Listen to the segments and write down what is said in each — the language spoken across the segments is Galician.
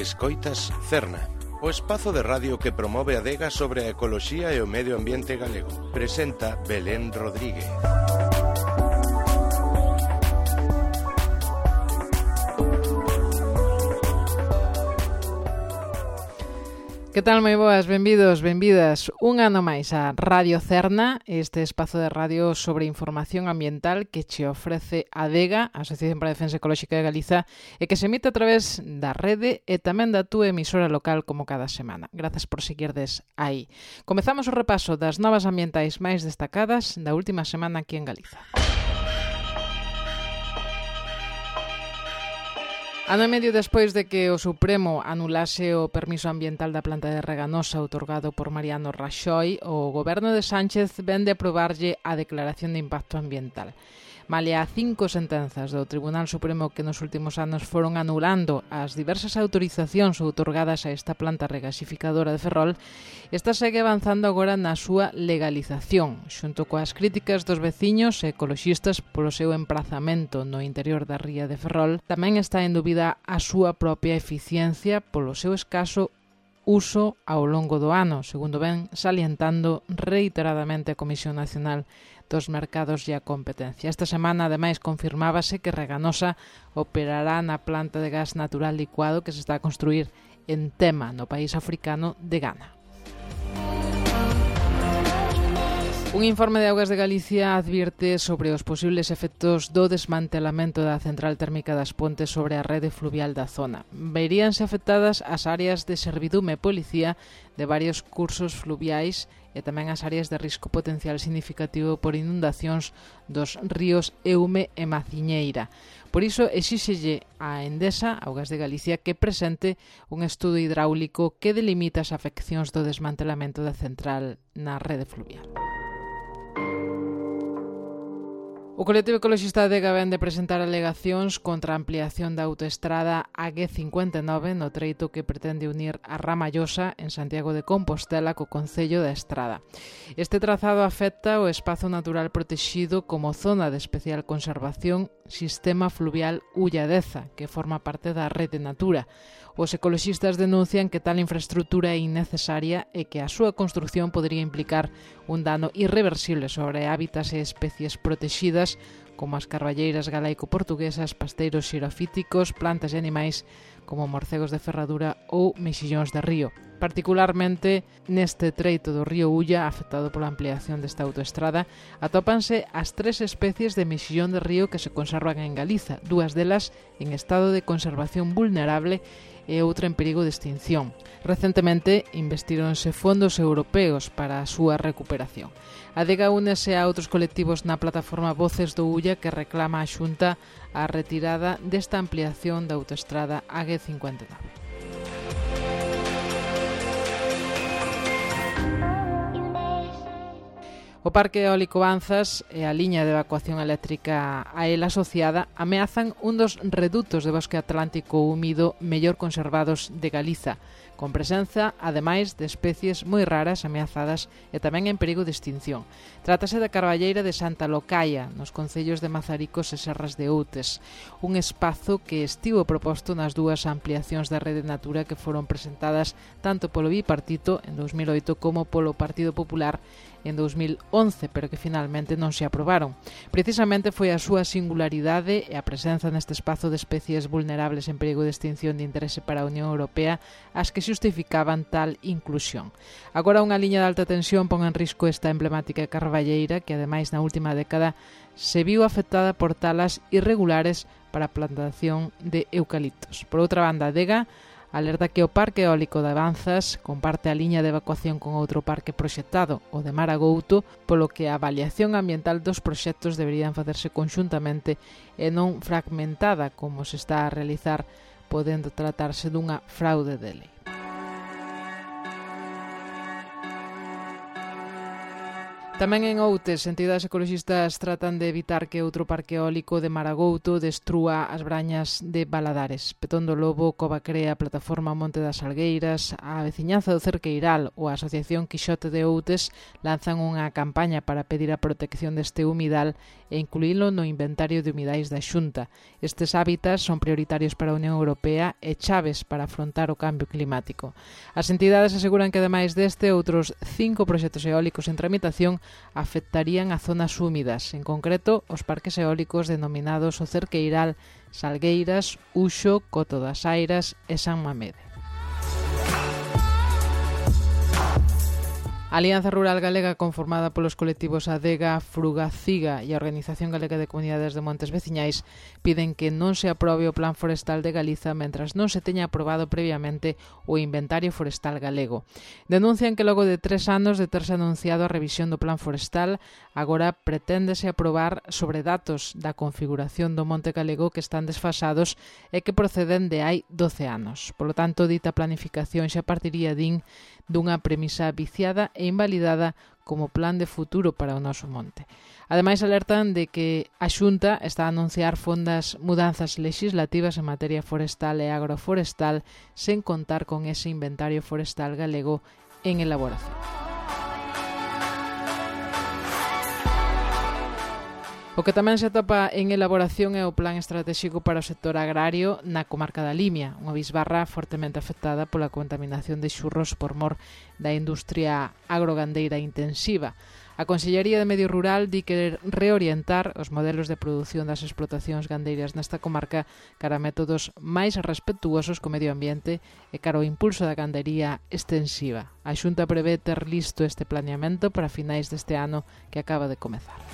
Escoitas Cerna, o espazo de radio que promove a adega sobre a ecoloxía e o medio ambiente galego. Presenta Belén Rodríguez. Que tal, moi boas, benvidos, benvidas un ano máis a Radio Cerna, este espazo de radio sobre información ambiental que che ofrece a ADEGA, a Asociación para a Defensa Ecolóxica de Galiza, e que se emite a través da rede e tamén da túa emisora local como cada semana. Grazas por seguirdes aí. Comezamos o repaso das novas ambientais máis destacadas da última semana aquí en Galiza. Ano e medio despois de que o Supremo anulase o permiso ambiental da planta de Reganosa outorgado por Mariano Raxoi, o goberno de Sánchez vende a aprobarlle a declaración de impacto ambiental. Malia 5 sentenzas do Tribunal Supremo que nos últimos anos foron anulando as diversas autorizacións outorgadas a esta planta regasificadora de Ferrol, esta segue avanzando agora na súa legalización, xunto coas críticas dos veciños e ecoloxistas polo seu emprazamento no interior da ría de Ferrol. Tamén está en dúbida a súa propia eficiencia polo seu escaso uso ao longo do ano, segundo ven salientando reiteradamente a Comisión Nacional dos Mercados e a Competencia. Esta semana, ademais, confirmábase que Reganosa operará na planta de gas natural licuado que se está a construir en Tema, no país africano de Ghana. Un informe de Augas de Galicia advirte sobre os posibles efectos do desmantelamento da central térmica das Pontes sobre a rede fluvial da zona. Veríanse afectadas as áreas de servidume e policía de varios cursos fluviais e tamén as áreas de risco potencial significativo por inundacións dos ríos Eume e Maciñeira. Por iso, exíxelle a Endesa, Augas de Galicia, que presente un estudo hidráulico que delimita as afeccións do desmantelamento da central na rede fluvial. O colectivo ecoloxista ADEGA vén de presentar alegacións contra a ampliación da autoestrada AG59 no treito que pretende unir a Ramallosa en Santiago de Compostela co concello da Estrada. Este trazado afecta o espazo natural protexido como zona de especial conservación Sistema Fluvial Ulladeza, que forma parte da Rede Natura. Os ecoloxistas denuncian que tal infraestructura é innecesaria e que a súa construción podría implicar un dano irreversible sobre hábitats e especies protexidas como as carballeiras galaico-portuguesas, pasteiros xirofíticos, plantas e animais como morcegos de ferradura ou mexillóns de río. Particularmente neste treito do río Ulla, afectado pola ampliación desta autoestrada, atópanse as 3 especies de mexillón de río que se conservan en Galiza, 2 delas en estado de conservación vulnerable e outra en perigo de extinción. Recentemente investíronse fondos europeos para a súa recuperación. A ADEGA únese a outros colectivos na plataforma Voces do Ulla que reclama a Xunta a retirada desta ampliación da autoestrada AG59. O Parque Eólico Banzas e a liña de evacuación eléctrica a él asociada ameazan un dos redutos de bosque atlántico húmido mellor conservados de Galiza, con presenza, ademais, de especies moi raras, ameazadas e tamén en perigo de extinción. Trátase da carballeira de Santa Locaia, nos concellos de Mazaricos e Serras de Outes, un espazo que estivo proposto nas 2 ampliacións da Rede Natura que foron presentadas tanto polo Bipartito en 2008 como polo Partido Popular en 2011, pero que finalmente non se aprobaron. Precisamente foi a súa singularidade e a presenza neste espazo de especies vulnerables en perigo de extinción de interese para a Unión Europea as que xustificaban tal inclusión. Agora unha liña de alta tensión pon en risco esta emblemática carballeira que, ademais, na última década se viu afectada por talas irregulares para a plantación de eucaliptos. Por outra banda, a ADEGA alerta que o Parque Eólico de Banzas comparte a liña de evacuación con outro parque proxectado, o de Maragouto, polo que a avaliación ambiental dos proxectos deberían facerse conxuntamente e non fragmentada como se está a realizar, podendo tratarse dunha fraude de lei. Tamén en Outes, entidades ecoloxistas tratan de evitar que outro parque eólico de Maragouto destrúa as brañas de Baladares. Petón do Lobo, Cova Crea, Plataforma Monte das Salgueiras, a veciñanza do Cerqueiral ou a Asociación Quixote de Outes lanzan unha campaña para pedir a protección deste humidal e incluílo no inventario de humidais da Xunta. Estes hábitats son prioritarios para a Unión Europea e chaves para afrontar o cambio climático. As entidades aseguran que, ademais deste, outros 5 proxectos eólicos en tramitación afectarían a zonas húmidas, en concreto os parques eólicos denominados o Cerqueiral, Salgueiras, Uxo, Coto das Airas e San Mamede. A Alianza Rural Galega, conformada polos colectivos Adega, Frugaciga e a Organización Galega de Comunidades de Montes Veciñais, piden que non se aprobe o Plan Forestal de Galiza mentras non se teña aprobado previamente o Inventario Forestal Galego. Denuncian que logo de 3 anos de terse anunciado a revisión do Plan Forestal, agora preténdese aprobar sobre datos da configuración do monte galego que están desfasados e que proceden de hai 12 anos. Polo tanto, dita planificación xa partiría, din, dunha premisa viciada e invalidada como plan de futuro para o noso monte. Ademais, alertan de que a Xunta está a anunciar fondas mudanzas legislativas en materia forestal e agroforestal sen contar con ese inventario forestal galego en elaboración. O que tamén se atopa en elaboración é o plan estratégico para o sector agrario na comarca da Limia, unha bisbarra fortemente afectada pola contaminación de xurros por mor da industria agrogandeira intensiva. A Consellería de Medio Rural di querer reorientar os modelos de produción das explotacións gandeiras nesta comarca cara a métodos máis respetuosos co medio ambiente e cara ao impulso da gandería extensiva. A Xunta prevé ter listo este planeamento para finais deste ano que acaba de comezar.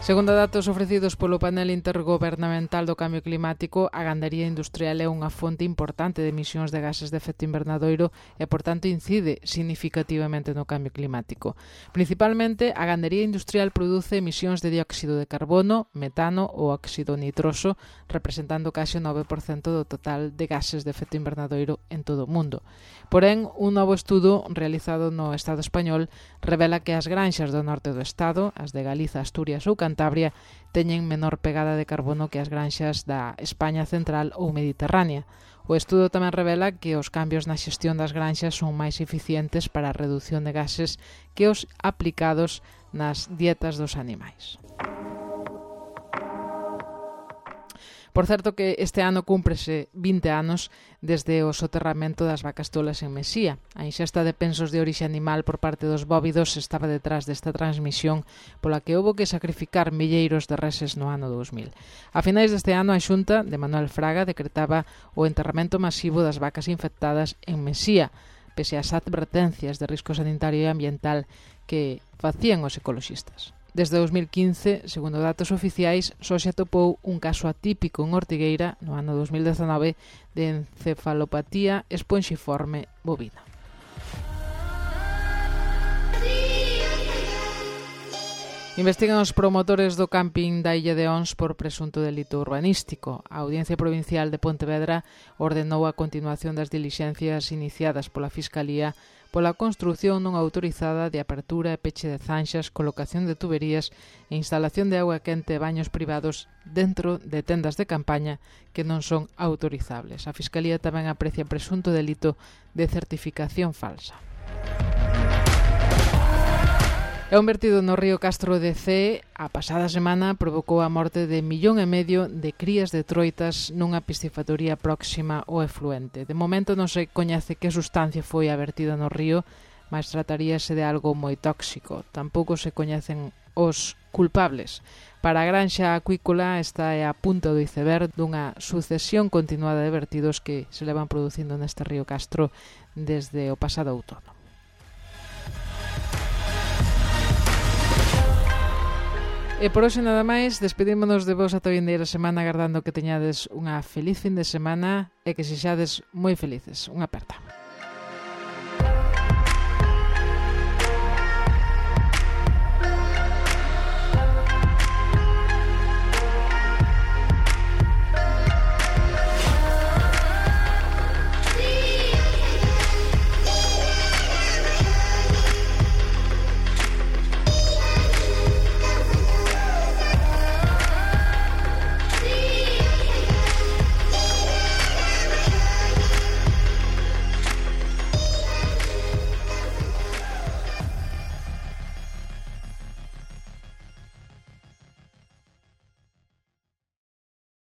Segundo datos ofrecidos polo panel intergobernamental do cambio climático, a gandería industrial é unha fonte importante de emisións de gases de efecto invernadoiro e, por tanto, incide significativamente no cambio climático. Principalmente, a gandería industrial produce emisións de dióxido de carbono, metano ou óxido nitroso, representando case o 9% do total de gases de efecto invernadoiro en todo o mundo. Porén, un novo estudo realizado no Estado español revela que as granxas do norte do Estado, as de Galiza, Asturias ou Cantabria, teñen menor pegada de carbono que as granxas da España central ou mediterránea. O estudo tamén revela que os cambios na xestión das granxas son máis eficientes para a reducción de gases que os aplicados nas dietas dos animais. Por certo que este ano cúmprese 20 anos desde o soterramento das vacas tolas en Mesía. A inxesta de pensos de orixe animal por parte dos bóvidos estaba detrás desta transmisión pola que houbo que sacrificar milleiros de reses no ano 2000. A finais deste ano, a Xunta de Manuel Fraga decretaba o enterramento masivo das vacas infectadas en Mesía, pese ás advertencias de risco sanitario e ambiental que facían os ecoloxistas. Desde 2015, segundo datos oficiais, só se atopou un caso atípico en Ortigueira no ano 2019 de encefalopatía esponxiforme bovina. Investigan os promotores do camping da Illa de Ons por presunto delito urbanístico. A Audiencia Provincial de Pontevedra ordenou a continuación das dilixencias iniciadas pola Fiscalía pola construción non autorizada de apertura e peche de zanxas, colocación de tuberías e instalación de auga quente e baños privados dentro de tendas de campaña que non son autorizables. A Fiscalía tamén aprecia presunto delito de certificación falsa. E un vertido no río Castro de Cee a pasada semana provocou a morte de 1,5 millón de crías de troitas nunha piscifactoría próxima ao efluente. De momento non se coñece que sustancia foi a vertida no río, mas trataríase de algo moi tóxico. Tampouco se coñecen os culpables. Para a granxa acuícola esta é a punta do iceberg dunha sucesión continuada de vertidos que se levan producindo neste río Castro desde o pasado outono. E por hoxe nada máis, despedímonos de vos ata a vindeira semana agardando que teñades unha feliz fin de semana e que sexades moi felices. Unha aperta.